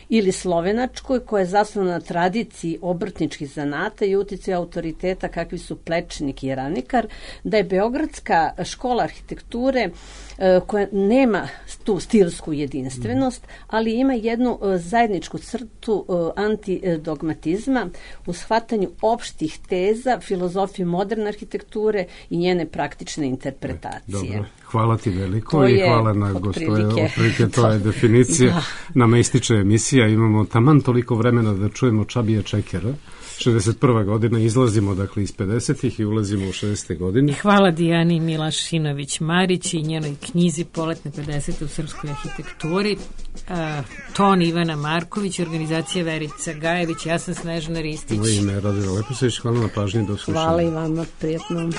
D: ili Slovenačkoj, koja je zasnovana na tradiciji obrtničkih zanata i uticaju autoriteta kakvi su Plečnik i Ranikar, da je Beogradska škola arhitekture uh, koja nema tu stilsku jedinstvenost, ali ima jednu uh, zajedničku crtu uh, antidogmatizma u shvatanju opštih teza, filozofije moderne arhitekture i njene praktične interpretacije.
C: Dobro, hvala ti veliko
D: To
C: i
D: je
C: hvala na gostove.
D: otprilike
C: Otprilike to je definicija.
D: Da.
C: Nama ističe emisija, imamo taman toliko vremena da čujemo Čabija Čekera. šezdeset prva godina, izlazimo dakle iz pedesetih i ulazimo u šezdesete godine.
B: Hvala Dijani Milašinović-Marić i njenoj knjizi Poletne pedesete u srpskoj arhitekturi. Uh, ton Ivana Marković, organizacija Verica Gajević, ja sam Snežana Ristić.
C: Moje ime je Radovila Leposević, hvala na pažnji, do slušanja.
D: Hvala i vama, prijatno.